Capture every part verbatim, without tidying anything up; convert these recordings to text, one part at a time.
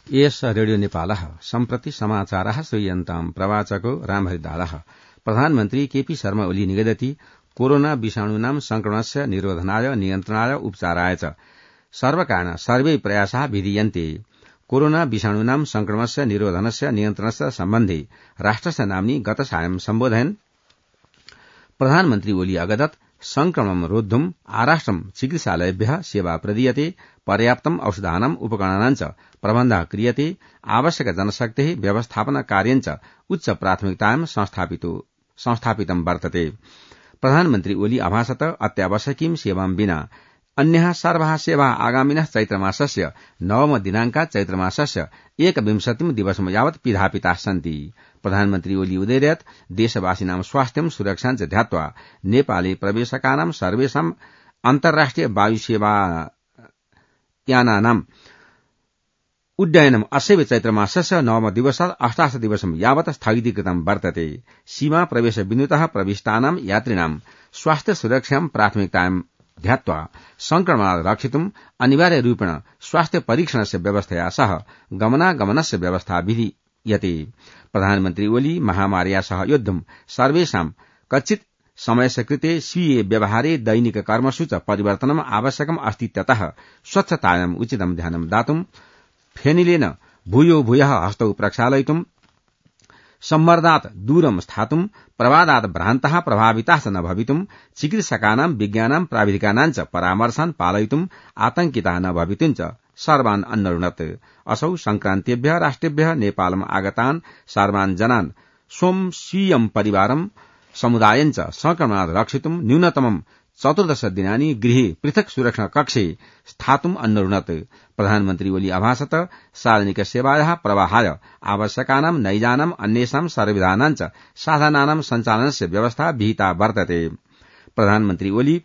S radio नेपालः सम्प्रति समाचारः श्रूयन्ताम् प्रवाचको रामहरिदासः। प्रधानमन्त्री केपी शर्मा ओली निगदति कोरोना विषाणूनां संक्रमणस्य निरोधनाय नियन्त्रणाय उपचाराय च सर्वकारेण सर्वे प्रयासाः विधीयन्ते। कोरोना विषाणूनां संक्रमणस्य निरोधनस्य नियन्त्रणस्य सम्बन्धे राष्ट्रस्य नाम्नि गत सायं सम्बोधयन् प्रधानमन्त्री ओली अगदत् संक्रमणं रोद्धुम् आराष्ट्रं चिकित्सालयेभ्यः सेवा प्रदीयते, पर्याप्तम् औषधानाम् उपकरणानां च प्रबन्धः क्रियते, आवश्यक जनशक्तेः व्यवस्थापन कार्यं च उच्च प्राथमिकतायां संस्थापितं वर्तते। प्रधानमन्त्री ओली अभाषत अत्यावश्यकीं सेवां विना अन्याः सर्वाः सेवाः आगामिनः चैत्रमासस्य नवम दिनाङ्कात् चैत्रमासस्य एकविंशतिं दिवसं यावत् पिधापिताः सन्ति। प्रधानमन्त्री ओली उदयत् देशवासिनां स्वास्थ्यं सुरक्षां च ध्यात्वा नेपाले प्रवेशकानां सर्वेषां अन्तर्राष्ट्रिय वायुसेवायानानाम् उड्डयनम् अस्यैव चैत्रमासस्य नवम दिवसात् अष्टादश दिवसं यावत् स्थगितीकृतं वर्तते। सीमा प्रवेश बिन्दुतः प्रविष्टानां यात्रिणां स्वास्थ्य सुरक्षां प्राथमिकतायां ध्यात्वा संक्रमणात् रक्षितुम् अनिवार्य रूपेण स्वास्थ्य परीक्षणस्य व्यवस्थया सह गमनागमनस्य व्यवस्था विधीयते। प्रधानमन्त्री ओली महामार्या सह योद्धुम् सर्वेषां कच्चित् समयस्य कृते स्वीये व्यवहारे दैनिक कर्मसु च परिवर्तनम् आवश्यकम् अस्तीत्यतः स्वच्छतायाम् उचितं ध्यानं दातुम् फेनिलेन भूयो भूयः हस्तौ प्रक्षालयितुम् सम्मर्दात् दूरं स्थातुम् प्रवादात् भ्रान्तः प्रभाविताः च न भवितुम् चिकित्सकानां विज्ञानां प्राविधिकानां च परामर्शान् पालयितुम् आतंकिताः न भवितुम् च सर्वान् अन्नरुणत्। असौ संक्रान्तिभ्यः राष्ट्रेभ्यः नेपालम् आगतान् सर्वान् जनान् स्वं स्वीयं परिवारं समुदायं च संक्रमणात् रक्षितुम् न्यूनतमम् चतुर्दश दिनानि गृहे पृथक् सुरक्षा कक्षे स्थातुम् अन्नरुणत्। प्रधानमन्त्री ओली अभाषत सार्वजनिक सेवायाः प्रवाहाय आवश्यकानां नैजानाम् अन्येषां सर्वविधानां च साधनानां सञ्चालनस्य व्यवस्था विहिता वर्तते। प्रधानमन्त्री ओली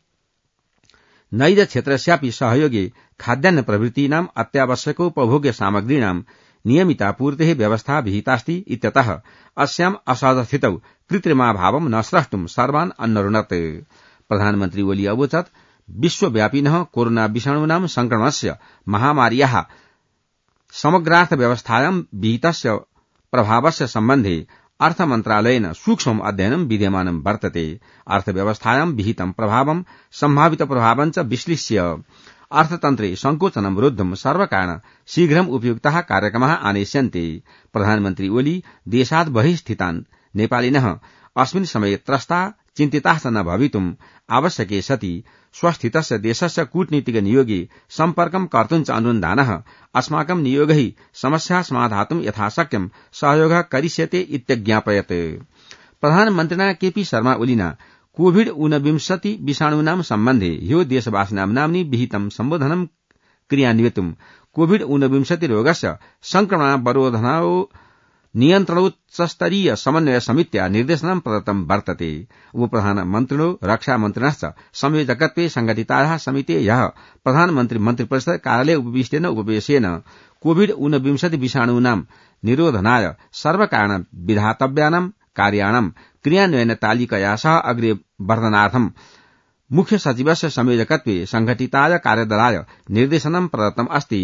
नैज क्षेत्रस्यापि सहयोगे खाद्यान्न प्रभृतीनाम् अत्यावश्यकोपभोग्य सामग्रीणां नियमितापूर्तेः व्यवस्था विहितास्ति इत्यतः अस्याम् असहजस्थितौ कृत्रिमाभावं न स्रष्टुम् सर्वान् अन्नरुणत्। प्रधानमन्त्री ओली अवोचत् विश्वव्यापिनः कोरोना विषाणूनां संक्रमणस्य महामार्याः समग्रार्थव्यवस्थायां विहितस्य प्रभावस्य सम्बन्धे अर्थमन्त्रालयेन सूक्ष्मम् अध्ययनं विद्यमानं वर्तते। अर्थव्यवस्थायां विहितं प्रभावं सम्भावित प्रभावं च विश्लिष्य अर्थतन्त्रे संकोचनं रोद्धुम् सर्वकारेण शीघ्रम् उपयुक्ताः कार्यक्रमाः आनेष्यन्ते। प्रधानमन्त्री ओली देशात् बहिः स्थितान् नेपालिनः अस्मिन् समये त्रस्ता चिन्तिताः च न भवितुम् आवश्यके सति स्वस्थितस्य देशस्य कूटनीतिक नियोगे सम्पर्कं कर्तुं च अनुसन्धानः अस्माकं नियोगैः समस्याः समाधातुं यथाशक्यं सहयोगः करिष्यते इत्यज्ञापयत्। प्रधानमन्त्रिणा केपी शर्मा ओलिना कोविड ऊनविंशति विषाणूनां सम्बन्धे ह्यो देशवासिनां नाम्नि विहितं सम्बोधनं क्रियान्वितुम् कोविड ऊनविंशति रोगस्य संक्रमणावरोधनौ नियन्त्रणोच्चस्तरीय समन्वय समित्या निर्देशनं प्रदत्तं वर्तते। उपप्रधानमन्त्रिणो रक्षामन्त्रिणश्च संयोजकत्वे संघटितायाः समितेः प्रधानमन्त्री मन्त्रिपरिषद कार्यालये उपविष्टेन उपवेशेन कोविड ऊनविंशति विषाणूनां निरोधनाय सर्वकारेण विधातव्यानां कार्याणां क्रियान्वयन तालिकया सह अग्रे वर्धनार्थं मुख्य सचिवस्य संयोजकत्वे संघटिताय कार्यदलाय निर्देशनं प्रदत्तम् अस्ति।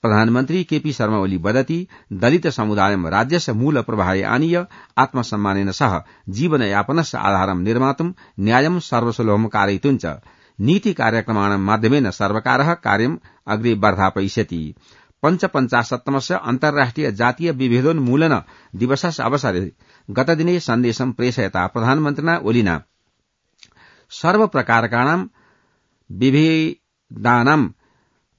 प्रधानमन्त्री केपी शर्मा ओली वदति दलित समुदायं राज्यस्य मूल प्रवाहे आनीय आत्मसम्मानेन सह जीवनयापनस्य आधारं निर्मातुं न्यायं सर्वसुलभं कारयितुं च नीति कार्यक्रमाणां माध्यमेन सर्वकारः कार्यम् अग्रे वर्धापयिष्यति। पञ्चपञ्चाशत्तमस्य अन्तर्राष्ट्रिय जातीय विभेदोन्मूलन दिवसस्य अवसरे गतदिने सन्देशं प्रेषयता प्रधानमन्त्रिणा ओलिना सर्वप्रकारकाणां विभेदानां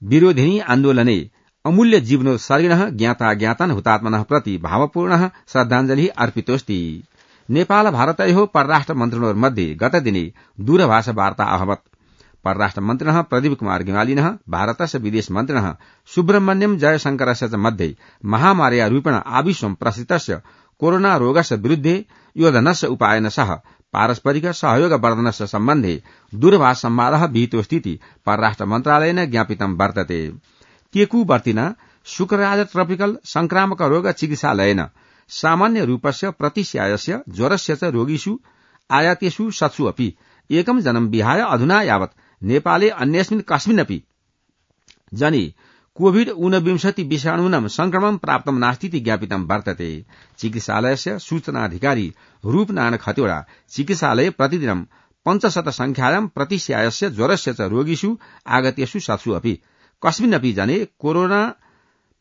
विरोधिनी आन्दोलने अमूल्य जीवनोत्सर्गिणः ज्ञाताज्ञातान् हुतात्मनः प्रति भावपूर्णः श्रद्धाञ्जलिः अर्पितोऽस्ति। नेपाल भारतयोः परराष्ट्रमन्त्रिणोर्मध्ये गतदिने दूरभाषवार्ता अभवत्। परराष्ट्रमन्त्रिणः प्रदीप कुमार गिवालिनः भारतस्य विदेशमन्त्रिणः सुब्रह्मण्यं जयशंकरस्य च मध्ये महामार्या रूपेण आविश्वं प्रसिद्धस्य कोरोना रोगस्य विरुद्धे योधनस्य उपायन सह पारस्परिक सहयोग वर्धनस्य सम्बन्धे दूरभाष संवादः विहितोऽस्तीति परराष्ट्र मन्त्रालयेन ज्ञापितं वर्तते। केकुवर्तिना शुक्रराज ट्रपिकल संक्रामक रोग चिकित्सालयेन सामान्य रूपस्य प्रतिस्यायस्य ज्वरस्य च रोगिषु आयातेषु शतसु अपि एकं जनं विहाय अधुना यावत् नेपाले अन्यस्मिन् कस्मिन्नपि जने कोविड ऊनविंशति विषाणूनां संक्रमण प्राप्तं नास्तीति ज्ञापितं वर्तते। चिकित्सालयस्य सूचनाधिकारी रूपनारायण खतिवड़ा चिकित्सालये प्रतिदिनं पञ्चशत संख्यायां प्रतिशयास्य ज्वरस्य च रोगिषु आगतेषु सत्सु अपि कस्मिन्नपि जने कोरोना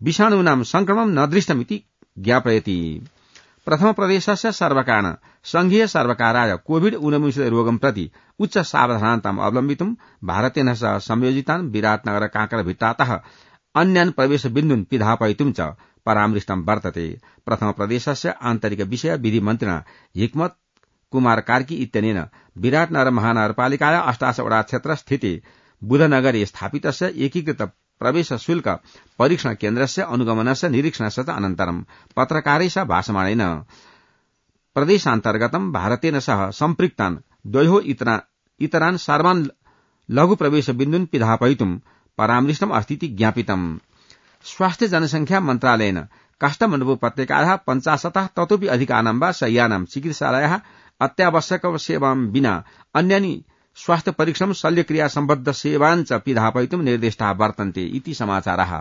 विषाणूनां संक्रमण न दृष्टमिति ज्ञापयति। प्रथम प्रदेशस्य सर्वकारेण संघीय सर्वकाराय कोविड ऊनविंशति रोगं प्रति उच्च सावधानताम् अवलम्बितुं भारतेन सह संयोजितान् विराटनगर कांकरभिट्टातः अन्यान् प्रवेश बिन्दून् पिधापयितुं च परामृष्टं वर्तते। प्रथम प्रदेशस्य आन्तरिक विषय विधि मन्त्रिणा हिक्मत कुमार कार्की इत्यनेन विराटनगर महानगरपालिकाया अष्टादशवटा क्षेत्र स्थिते बुधनगरे स्थापितस्य एकीकृत प्रवेश शुल्क परीक्षण केन्द्रस्य अनुगमनस्य निरीक्षणस्य च अनन्तरं पत्रकारैः भाषमाणेन प्रदेशान्तर्गतं भारतेन सह सम्पृक्तान् द्वयोः इतरान् सर्वान् लघु प्रवेश बिन्दून् पिधापयितुं परामृष्टम् अस्तीति ज्ञापितम्। स्वास्थ्य जनसंख्या मन्त्रालयेन काष्ठमण्डप उपत्यकायाः पञ्चाशतः ततोपि अधिकानां वा शय्यानां चिकित्सालयाः अत्यावश्यक सेवां विना अन्यानि स्वास्थ्य परीक्षण शल्यक्रिया सम्बद्ध सेवान् च पिधापयितुं निर्दिष्टाः वर्तन्ते इति समाचारः।